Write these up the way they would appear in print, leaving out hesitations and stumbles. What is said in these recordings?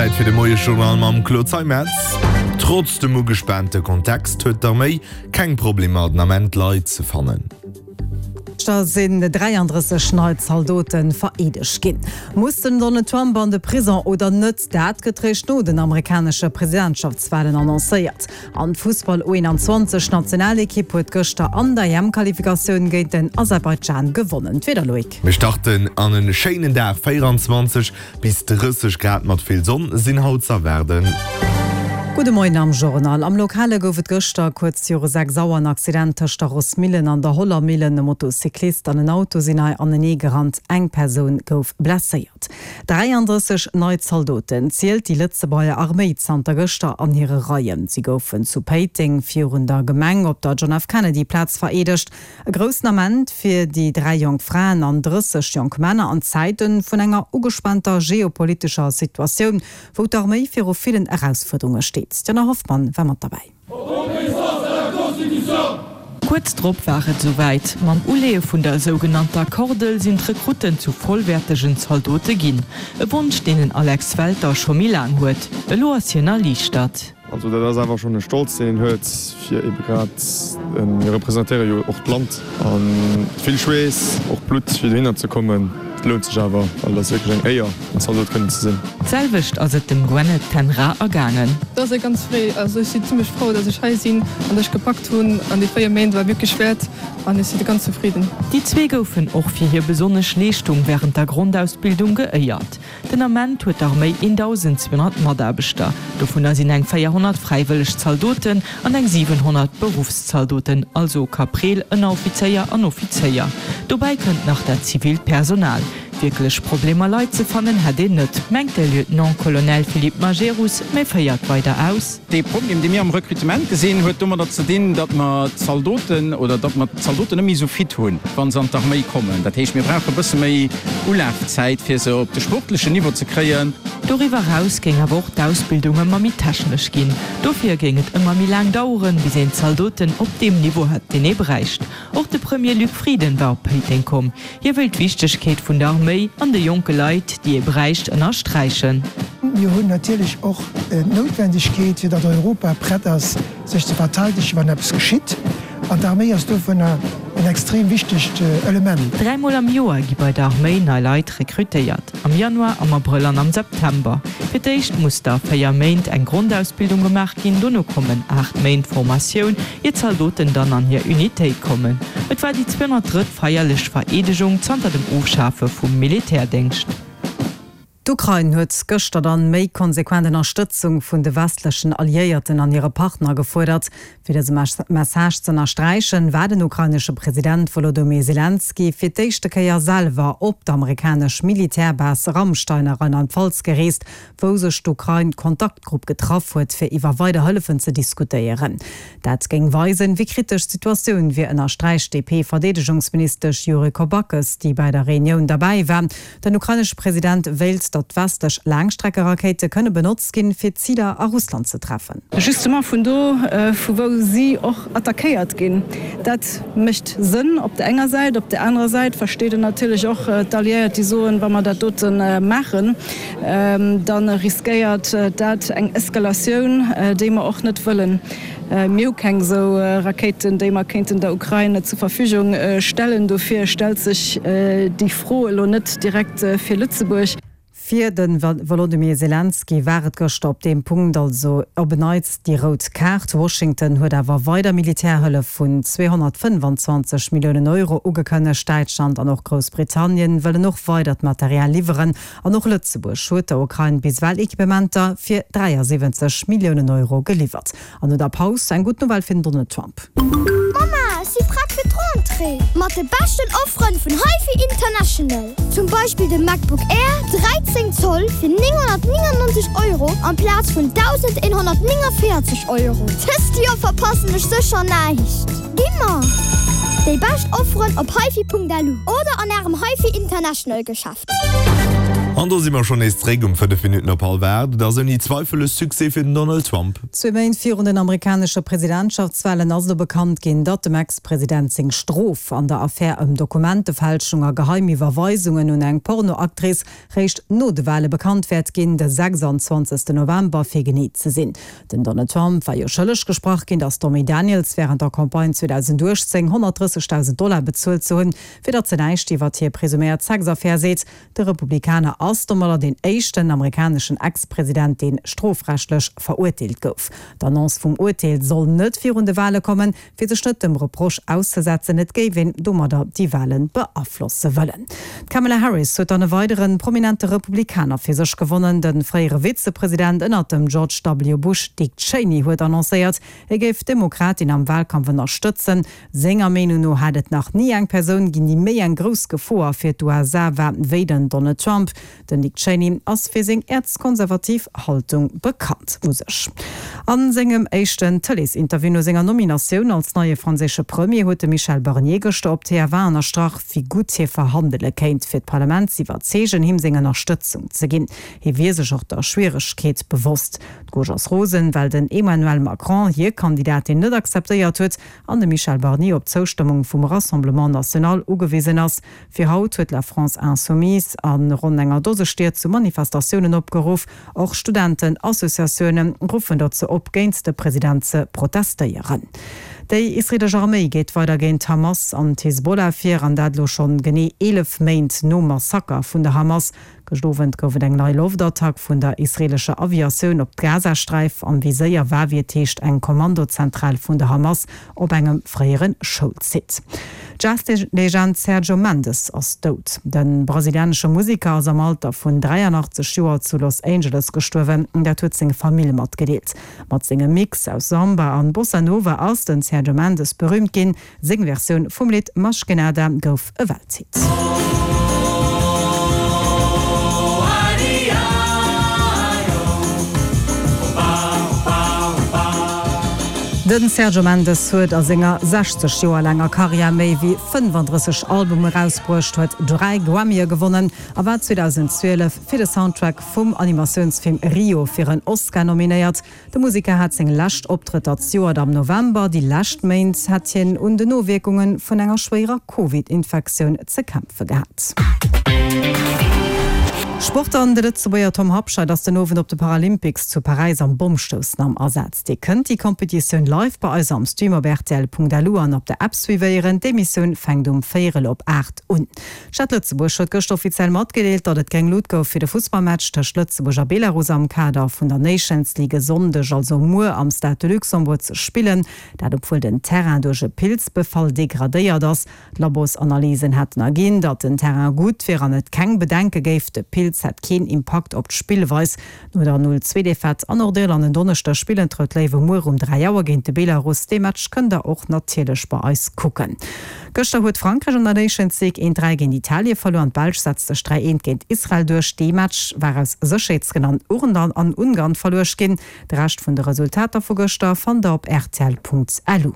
Zäit fir de Moiesjournal mam Claude Zeimetz. Trotz dem ugespaante Kontext huet d'Arméi keng Problemer den Ament Leit ze fannen. Gëschter sinn 33 nei Zaldote vereedegt ginn. Muss den Donald Trump an de Prison oder net? Dat gëtt réischt no den amerikanesche Presidentschaftswalen annoncéiert. An d'Fussball U21 Nationalekipp huet gëschter an der EM-Qualifikatioun géint den Aserbaidschan gewonnen. D'Wieder, Loïc. Mir starten an en schéinen Dag, 24 bis 30 Grad mat vill Sonn sinn haut z'erwaarden. Gudde Moien am Journal. Am Lokale gouf et gëschter kuerz viru 6 Auer en Accident tëscht der Rossmillen an der Hollermillen. E Motocyclist an en Auto sinn hei anenee gerannt, eng Persoun gouf blesséiert. 33 nei Zaldoten zielt déi Lëtzebuerger Arméi zanter gëschter an hire Reien. Si goufen zu Péiteng virun der Gemeng op der John F. Kennedy Plaz vereedegt. E groussen Ament fir déi 3 jonk Fraen an 30 jonk Männer an Zäite vun enger ugespaanter geopolitescher Situatioun, wou d'Arméi viru villen Erausfuerderunge steet. D'Jana Hoffmann war mat derbäi. Kuerz drop war et esouwäit, Mam Uleeë vun der sougenannter Kordel sinn d'Rekrutten zu vollwäertegen Zaldote ginn. E Wonsch, deen den Alex Welter scho méi laang huet. Elo ass hien erliichtert. Also dat ass awer schonn e Stolz, deen een huet, fir ebe grad, mir representéiere jo och d'Land a vill Schweess, och Blutt, fir dohinner ze kommen. Et lount sech awer, well et ass wierklech eng Éier. En Zaldot kënnen ze sinn. D'selwecht ass et dem Gwenneth Ten Raa ergaangen. Et ass ganz fréi, also ech si zimmlech frou, dass ech hei sinn an dass ech gepackt hunn an déi 4 Méint war wierklech wäert an ech si ganz zefridden. Déi zwee goufen och fir hir besonnesch Leeschtung wärend der Grondausbildung geéiert. Den Ament huet d'Arméi 1.200 Mataarbechter, dovunner sinn eng 400 fräiwëlleg Zaldoten an eng 700 Beruffszaldoten, also Kapreel, Ënneroffizéier an Offizéier. Dobäi kënnt nach dat zivilt Personal. Wierklech Problemer Leit ze fannen hätt een net, mengt de Lieutenant-Colonel Philippe Majerus, mä féiert weider aus. Dee Problem, dee mir am Recrutement gesinn, huet domadder ze dinn, datt mer d'Zaldoten oder datt mer d'Zaldoten net méi esou fit hunn, wa se an d'Arméi kommen. Dat heescht, mir brauche e bësse méi Ulafzäit, fir se op de sportlechen Niveau ze kréien. Doriwwer eraus géing awer och d'Ausbildung ëmmer méi technesch ginn. Dofir géing et ëmmer méi laang daueren, bis een d'Zaldoten op deem Niveau hätt, deen ee bräicht. Och de Premier Luc Frieden war op Péiteng komm. Hie wëll d'Wichtegkeet vun der Arméi an de jonke Leit, déi ee bräicht, ënnersträichen. Mir hunn natierlech och d'Noutwendegkeet, fir datt Europa prett ass, sech ze verteidegen, wann eppes geschitt. An d'Arméi ass dovunner en extrem wichtegt Element. Dräimol am Joer gi bei der Arméi nei Leit rekrutéiert, am Januar, am Abrëll an am September. Fir d'éischt muss da 4 Méint eng Grondausbildung gemaach ginn, dono kommen 8 Méint Formatioun, ier d'Zaldoten dann an hir Unitéit kommen. Et war déi 203. Feierlech Vereedegung zanter dem Ofschafe vum Militärdéngscht. D'Ukrain huet gëschter dann méi konsequent Ënnerstëtzung vun de westlechen Alliéierten an hire Partner gefuerdert. Fir dëse Message z'ënnersträichen, war den ukrainesche President Wolodomyr Selenskyj fir d'éischte Kéier selwer op d'amerikanesch Militärbase Ramstein a Rheinland-Pfalz gereest, wou sech d'Ukrain-Kontaktgrupp getraff huet, fir iwwer weider Hëllefen ze diskutéieren. Dat géing weisen, wéi kritesch d'Situatioun wier, ënnersträicht d'DP-Verdeedegungsministesch Yuriko Backes, déi bäi der Reunioun derbäi war. Den ukrainesche President wéilt, datt westlech Laangstreckerakéite kënne benotzt ginn, fir Ziler a Russland ze treffen. Justement vun do, vu wou si och attackéiert ginn. Dat mécht Sënn op der enger Säit. Op der anerer Säit versteet een natierlech och d'Alliéiert, déi soen, wa mer dat dote maachen, da riskéiert dat eng Eskalatioun, déi mer och net wëllen. Mir hu keng esou Rakéiten, déi mer kéinten der Ukrain zur Verfügung stellen. Dofir stellt sech déi Fro elo net direkt fir Lëtzebuerg. Fir de Wolodymyr Selenskyj war et gëschter op deem Punkt also op en Neits déi rout Kaart. Washington huet awer weider Militärhëllef vun 225 Milliounen Euro ugekënnegt. Däitschland an och Groussbritannien wëllen och weidert Material liwweren. An och Lëtzebuerg huet der Ukrain bis ewell Equipementer fir 73 Milliounen Euro geliwwert. An no der Paus eng gutt Nouvelle fir den Donald Trump. Mama, ech si prett fir d'Rentrée! Mat de beschten Offeren vun HiFi International! Zum Beispill de MacBook Air 13 Zoll fir 999 Euro amplaz vun 1.149 Euro. Dëst Joer verpassen ech sécher näischt! Gi mer déi bescht Offeren op hifi.lu oder an ärem HiFi International Geschäft. An do si mer schonn nees zréck um 5 Minutten op hallwer 8. Et ass ouni Zweifel e Succès fir den Donald Trump. Zwee Méint virun den amerikanesche Presidentschaftswalen ass elo bekannt ginn, datt dem Ex-President seng Strof an der Affär ëm Dokumentefälschung a geheim Iwwerweisungen un eng Pornoactrice réischt no de Wale bekannt wäert ginn, de 26 November fir genee ze sinn. Den Donald Trump war jo schëlleg gesprach ginn, der Stormy Daniels wärend der Campagne 2018 130.000 Dollar bezuelt ze hunn, fir datt se näischt iwwert hir presuméiert Sexaffär seet. De Republikaner ass domadder deen éischten amerikaneschen Ex-President, deen strofrechtlech verurteelt gouf. D'Annonce vum Urteel soll net virun de Wale kommen, fir sech net dem Reproche auszesetzen, et géif een domadder déi Wale beaflosse wëllen. D'Kamala Harris huet dann e weidere prominente Republikaner fir sech gewonnen. De fréiere Vizepresident ënnert dem George W. Bush, Dick Cheney, huet annoncéiert, hie géif d'Demokratin am Walkampf ënnerstëtzen. Senger Meenung no hätt et nach ni eng Persoun ginn, déi méi eng grouss Gefoer fir d'USA war, wéi den Donald Trump. Den Dick Cheney ass fir seng äerzkonservativ Haltung bekannt. U sech a sengem éischten Tëleesinterview no senger Nominatioun als neie franséische Premier huet de Michel Barnier gëschter op TF1 ënnerstrach, wéi gutt hie verhandele kéint, fir d'Parlament z'iwwerzeegen, him seng Ënnerstëtzung ze ginn. Hie wier sech och der Schwieregkeet bewosst. D'Gauche ass rosen, well den Emmanuel Macron hir Kandidatin net akzeptéiert huet an de Michel Barnier op d'Zoustëmmung vum Rassemblement National ugewisen ass. Fir haut huet La France Insoumise a ronn enger Dose Stied zu Manifestatiounen opgeruff. Och Studentenassociatioune ruffen dozou op, géint de President ze protestéieren. Déi israeelesch Arméi geet weider géint d'Hamas an d'Hisbollah vir, an dat elo schonn genee 11 Méint nom Massaker vun der Hamas. Gëscht Owend gouf et eng nei Loftattack vun der israeelescher Aviatioun op d'Gazasträif. Am Viséier war, wéi et heescht, eng Kommandozentral vun der Hamas op engem fréiere Schoulsite. D'Jazz-Legend Sergio Mendes ass dout. De brasilianesche Museker ass am Alter vun 83 Joer zu Los Angeles gestuerwen. Dat huet seng Famill matgedeelt. Mat sengem Mix aus Samba an Bossa Nova ass den Sergio Mendes berüümt ginn. Seng Versioun vum Lidd Mas Que Nada gouf e Welthit. De Sergio Mendes huet a senger 60 Joer laanger Karriär méi wéi 35 Albume erausbruecht, huet 3 Grammye gewonnen a war 2012 fir de Soundtrack vum Animatiounsfilm Rio fir en Oscar nominéiert. De Museker hat seng lescht Optrëtter zejoert am November. Déi lescht Méint hätt hien un den Nowierkunge vun enger schwéierer Covid-Infektioun ze kämpfe gehat. Sport An de Lëtzebuerger Tom Habscheid ass den Owend op de Paralympics zu Paräis am Bommstoussen am Asaz. Dir kënnt déi Competitioun live bei eis am Stream op rtl.lu an op der App suivéieren. D'Emissioun fänkt um véierel op 8 un. D'Stad Lëtzebuerg huet gëschter offiziell matgedeelt, datt et gréng Lut gouf fir de Fussballmatch tëscht Lëtzebuerg a Belarus am Kader vun der Nations League e Sonndeg, also muer, am Stade de Luxembourg ze spillen. Dat obwuel den Terrain duerch e Pilzbefall degradéiert ass. D'Labosanalysen hätten erginn, datt den Terrain gutt wier an et keng Bedenke géif. De Pilz hätt keen Impakt op d'Spillweis. No der 0, 2 Defaite an Nordirland en Donneschdeg spillen d'Rout Léiwe muer um 3 Auer géint de Belarus. Dee Match kënnt der och natierlech bei eis kucken. Gëschter huet Frankräich an der Nations League 1, 3 géint Italie verluer an d'Belsch setzt sech 3, 1 géint Israel duerch. Dee Match war aus Sécherheetsgrënn an an Ungarn verluecht ginn. De Rescht vun de Resultater vu gëschter fannt der op rtl.lu.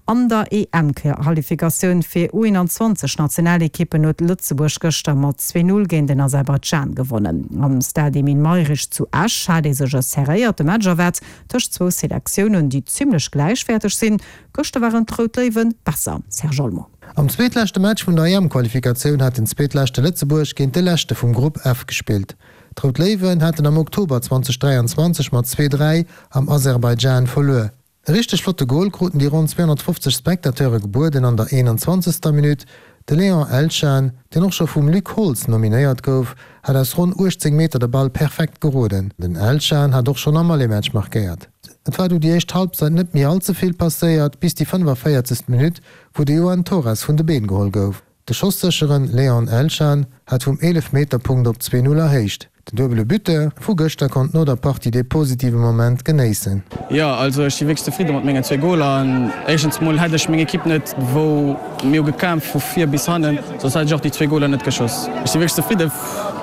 An der EM-Qualifikatioun fir U21 Nationalekippen huet Lëtzebuerg gëschter mat 2, 0 géint den Aserbaidschan gewonnen. Am Stade Emile Mayrisch zu Esch hat ee sech e serréierte Match erwaart tëscht zwou Selektiounen, déi zimmlech gläichwäerteg sinn. Gëschter waren d'Rout Léiwe besser, Serge Olmo. Am zweetleschte Match vun der EM-Qualifikatioun hat den zweetleschte Lëtzebuerg géint de leschte vum Grupp F gespillt. D'Rout Léiwen haten am Oktober 2023 mat 2, 3 am Aserbaidschan verluer. E richteg flotte Gol kruten déi ronn 250 Spectateure gebueden an der 21. Minutt. De Léon Elchan, deen och scho vum Luc Holtz nominéiert gouf, hat aus ronn 18 Meter de Ball perfekt geroden. Den Elchan hat och schonn am Aller-Match markéiert. Et war du déi éischt Halbzeit net méi all ze vill passéiert, bis déi 45. Minutt, wou de Joan Torres vun de Been geholl gouf. De schossécheren Léon Elchan hat vum Eelefmeterpunkt op 2, 0 erhéicht. Den duebele Buteur vu gëschter konnt no der Partie dee positive Moment genéissen. Jo, also ech si wierklech zefridde mat mengen zwee Goler. An éischtens mol hätt ech meng Ekipp net, wou mir hu gekämpft vu vir bis hannen, soss hätt ech och déi zwee Goler net geschoss. Ech si wierklech zefridde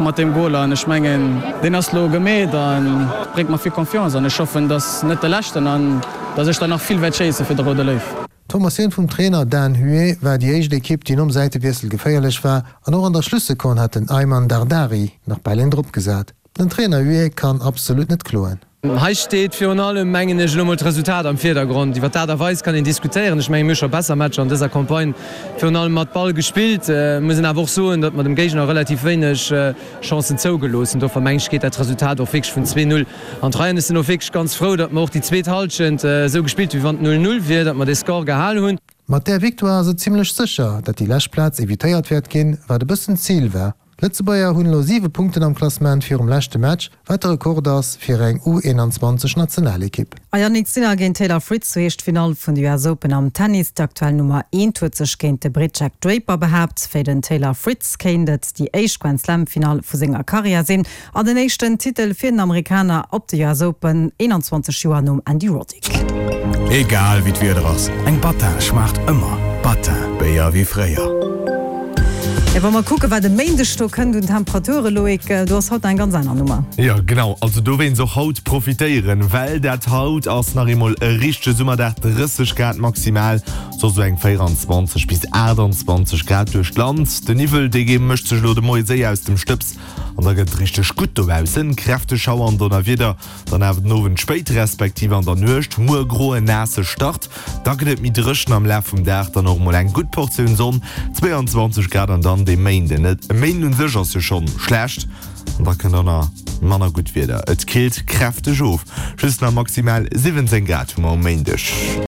mat deem Gol an ech mengen deen ass lo gemeet an bréngt mer vill Confiance an ech hoffen, dass net de leschten an dass ech der nach vill wäert schéisse fir de Roude Léiw. D'Formatioun vum Trainer Dan Huet war déi éischt Ekipp, déi nom Säitewiessel geféierlech war an och an der Schlussekonn hat den Ayman Dardari nach bal een drop gesat. Den Trainer Huet kann absolut net kloen. Hei steet virun allem, mengen ech, elo mol d'Resultat am Virdergrond. Iwwer d'Aart a Weis kann een diskutéieren. Ech mengen, mir hu scho besser Matcher an dëser Campagne virun allem mat Ball gespillt. Muss een awer och soen, datt mer dem Géigner relativ wéineg Chancen zougelooss hunn. Dofir mengen ech, geet dat Resultat och wierklech vun 2, 0 an d'Rei. An ech sinn och wierklech ganz frou, datt mer och déi zweet Hallschent esou gespillt hunn, wéi wann et 0, 0 wier, datt mer dee Score gehal hunn. Mat där Victoire ass et zimmlech sécher, datt déi lescht Plaz evitéiert wäert ginn, wat e bëssen d'Zil war. D'Lëtzebuerger hunn elo 7 Punkten am Klassement virum leschte Match, wat de Rekord ass fir eng U21 Nationalekipp. A Jannik Sinner géint Taylor Fritz, sou heescht d'Finall vun de US Open am Tennis. D'aktuell Nummer eent huet sech géint de Britt Jack Draper behaapt. Fir den Taylor Fritz kéint et déi éischt Grand Slam Finall vu senger Karriär sinn an den éischten Titel fir den Amerikaner op de US Open, 21 Joer nom Andy Roddick. Egal wéi d'Wieder ass, eng Battin schmaacht ëmmer. Battin, Béier wéi fréier. Jo, wa mer kucken, wat e Méindeg do kënnt un Temperaturen, Loïc, do ass haut nach eng ganz aner Nummer. Jo, genau. Also dowéinst och haut profitéieren, well dat haut ass nach eemol e richtege Summerdag, 30 Grad maximal, soss esou eng 24 bis 28 Grad duerch d'Land. De Niwwel, dee mécht sech elo de Moie séier aus dem Stëbs an da gëtt et richteg gutt dobaussen. Kräfteg Schauer an Donnerwieder dann awer den Owend spéit respektiv an der Nuecht. Muer groen, naasse Start. Da gëtt et méi dréchen, am Laf vum Dag dann och mol eng gutt Portioun Sonn, 22 Grad an dann dee Méinden. E Méinden un sech ass jo schonn schlecht an da kënnt och nach manner gutt Wieder. Et killt kräfteg of, just nach maximal 17 Grad hu mer um Méindeg.